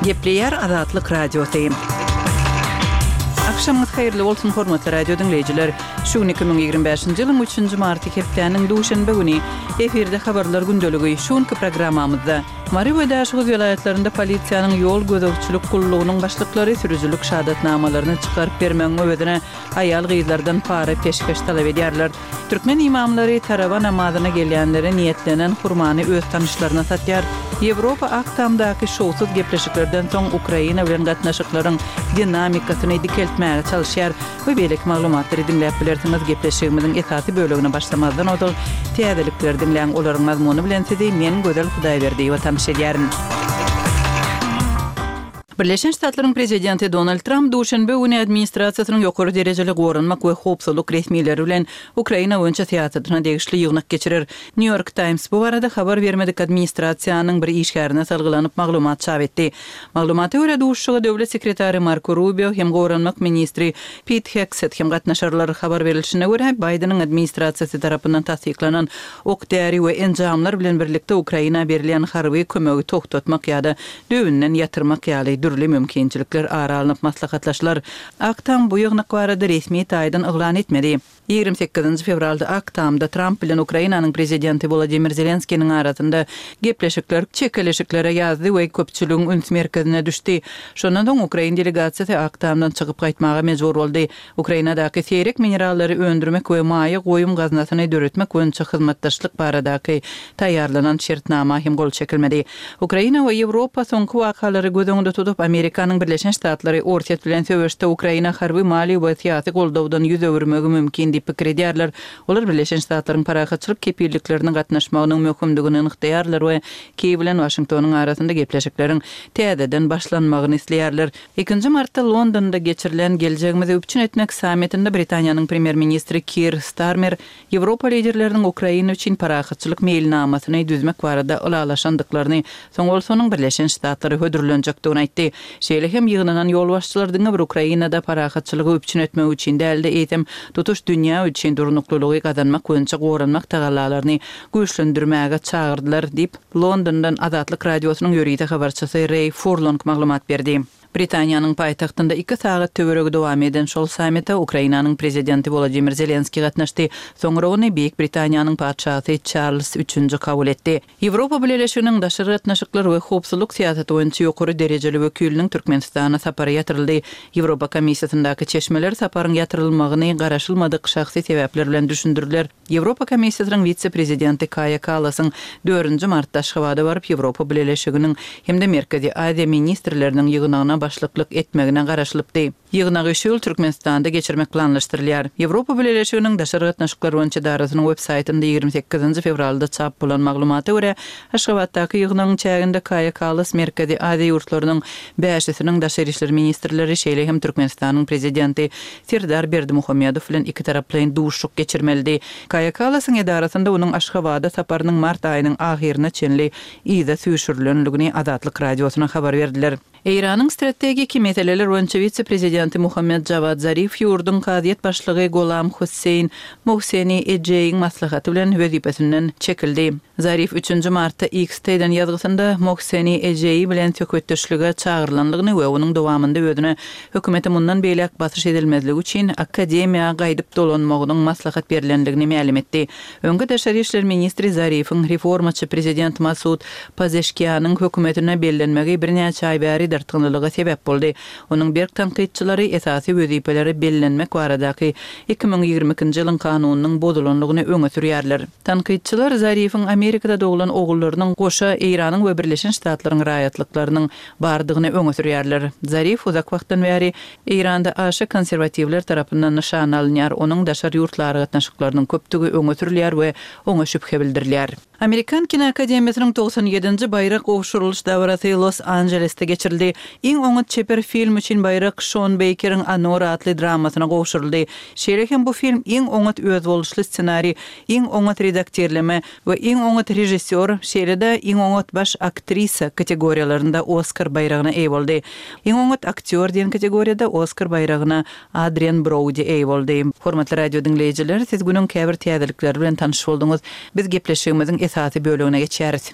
Gepleýär Azatlyk Radiosy. Agşamyňyz haýyrly bolsun, hormatly radio diňleýjiler! Şu gün 2025-nji ýylyň üçünji marty hepdäniň duşenbe güni. Efirde Habarlar gündeligi. Şu günki programmamyzda. Mary we Daşoguz welaýatlarynda polisiýanyň ýol gözegçilik gullugynyň başlyklary sürüjilik şahadatnamalaryny çykaryp bermegiň öwezine aýal-gyzlardan para-peşgeş talap edýärler. Türkmen ymamlary tarawa namazyna gelýänlere niýetlenen hurmany öz tanyşlaryna satýar. Ýewropa Ak Tamdaky şowsuz gepleşiklerden soň Ukraina bilen gatnaşyklaryň dinamikasyny dikeltmäge çalyşýar we beýleki maglumatlary diňläp bilersiňiz. Gepleşigimiziň esasy bölegine başlamazdan ozal täzelikleri diňläň, olaryň mazmuny bilen sizi men Gözel Hudaýberdiýewa tanyş edýärin. Birleşen Ştatlaryň Prezidenti Donald Tramp duşenbe güni administrasiýasynyň ýokary derejeli goranmak we howpsuzlyk resmileri bilen Ukraina boýunça syýasatyna degişli ýygnak geçirer. New York Times bu barada habar bermedik administrasiýanyň bir işgärine salgylanyp maglumat çap etdi. Maglumata görä, duşuşyga döwlet sekretary Marko Rubio hem goranmak ministri Pit Hegset hem gatnaşarlar. Habar berilişine görä, Baýdeniň administrasiýasy tarapyndan tassyklanan ok-däri we enjamlar bilen birlikde Ukraina berilýän harby kömegi togtatmak ýa-da düýbünden ýatyrmak ýaly dürli mümkinçilikler ara alnyp maslahatlaşylar. Ak Tam bu ýygnak barada resmi taýdan yglan etmedi. 28 fewralda Ak Tamda Tramp bilen Ukrainanyň prezidenti Wolodymyr Zelenskiniň arasynda gepleşikler çekeleşiklere ýazdy we köpçüligiň üns merkezine düşdi. Şondan soň ukrain delegasiýasy Ak Tamdan çykyp gaýtmaga mejbur boldy. Ukrainadaky seýrek minerallary öndürmek we maýa goýum gaznasyny döretmek boýunça hyzmatdaşlyk baradaky taýýarlanan şertnama hem gol çekilmedi. Ukraina we Ýewropa soňky wakalary göz öňünde tutup, Amerikanyň Birleşen Ştatlary Orsýet bilen söweşde Ukraina harby, maliýe we syýasy goldawdan ýüz öwürmegi mümkin diýip pikir edýärler. Olar Birleşen Ştatlaryň parahatçylyk kepilliklerine gatnaşmagynyň möhümdigini nygtaýarlar we Kiýew bilen Waşingtonyň arasynda gepleşikleriň täzeden başlanmagyny isleýärler. Ikinji martda Londonda geçirilen Geljegimizi üpjün etmek sammitinde Britaniýanyň premýer-ministri Kir Starmer Ýewropa liderleriniň Ukraina üçin parahatçylyk meýilnamasyny düzmek barada ylalaşandyklaryny, soň bolsa onuň Birleşen Ştatlara hödürlenjekdigini aýtdy. Şeýle hem ýygnanan ýolbaşçylar diňe bir Ukrainada parahatçylygy üpjün etmek üçin däl-de, eýsem, tutuş dünýä üçin durnuklylygy gazanmak boýunça goranmak tagallalaryny güýçlendirmäge çagyrdylar diýip, Londondan Azatlyk Radiosynyň ýörite habarçysy Reý Furlong maglumat berdi. Britaniýanyň paýtagtynda iki sagat töweregi dowam eden şol sammite Ukrainanyň prezidenti Wolodymyr Zelenskiý gatnaşdy. Soňra ony Beýik Britaniýanyň patyşasy Çarlz Üçünji kabul etdi. Ýewropa Bileleşiginiň daşary gatnaşyklar we howpsuzlyk syýasaty boýunça ýokary derejeli wekiliniň Türkmenistana sapary ýatyryldy. Ýewropa Komissiýasyndaky çeşmeler saparyň ýatyrylmagyny garaşylmadyk şahsy sebäpler bilen düşündirdiler. Ýewropa Komissiýasynyň wise-prezidenti Kaýa Kallasyň dördünji martda Aşgabada baryp, Ýewropa Bileleşiginiň hem-de Merkezi Aziýa ministrleriniň ýygnagyna başlyklyk etmegine garaşylypdy. Ýygnagy şu ýyl Türkmenistanda geçirmek planlaşdyrylýar. Ýewropa Bileleşiginiň Daşary gatnaşyklar boýunça edarasynyň web saýtynda 28 nji fewralda çap bolan maglumata görä, Aşgabatdaky ýygnagyň çäginde Kaýa Kallas Merkezi Aziýa ýurtlarynyň bäşisiniň daşary işler ministrleri, şeýle hem Türkmenistanyň Prezidenti Serdar Berdimuhamedow bilen ikitaraplaýyn duşuşyk geçirmelidi. Kaýa Kallasyň edarasynda onuň Aşgabada saparynyň mart aýynyň ahyryna çenli yza süýşürilendigini Azatlyk Radiosyna habar berdiler. Eýranyň strategiki meseleler boýunça wise-prezidenti Muhammet Jawad Zarif ýurduň kazyýet başlygy Golam Hossein Mohseni Ejeýiň maslahaty bilen wezipesinden çekildi. Zarif üçünji martda X-de eden ýazgysynda Mohseni Ejeýi bilen söhbetdeşlige çagyrylandygyny we onuň dowamynda özüne hökümete mundan beýläk basyş edilmezligi üçin akademiýa gaýdyp dolanmagynyň maslahat berlendigini mälim etdi. Öňki daşary işler ministri Zarifiň reformaçy prezident Masud Pazeşkianyň hökümetine bellenmegi birnäçe aý bäri dartgynlylyga sebäp boldy. Onuň berk tankytçylary esasy wezipelere bellenmek baradaky 2022-nji ýylyň kanunynyň bozulandygyny öňe sürýärler. Tankytçylar Zarifiň Amerikada doglan ogullarynyň goşa Eýranyň we Birleşen Ştatlaryň raýatlyklarynyň bardygyny öňe sürýärler. Zarif uzak wagtdan bäri Eýranda aşa konserwatiwler tarapyndan nyşana alynýar, onuň daşary ýurtly aragatnaşyklarynyň köpdügi öňe sürülýär we oňa şübhe bildirilýär. Amerikan kinoakademiýasynyň 97-nji baýrak gowşurylyş dabarasy Los-Anjelesde geçirildi. Iň oňat çeper film üçin baýrak Şon Beýkeriň Anora atly dramasyna gowşuryldy. Şeýle hem bu film iň oňat özboluşly ssenariý, iň oňat redaktirleme we iň oňat režissýor, şeýle-de iň oňat baş aktrisa kategoriýalarynda Oskar baýragyna eýe boldy. Iň oňat aktýor diýen kategoriýada Oskar baýragyna Adrian Broudi eýe boldy. Hormatly radio diňleýjiler, siz günüň käbir täzelikleri bilen tanyş bolduňyz. Biz gepleşigimiziň esasy bölegine geçýäris.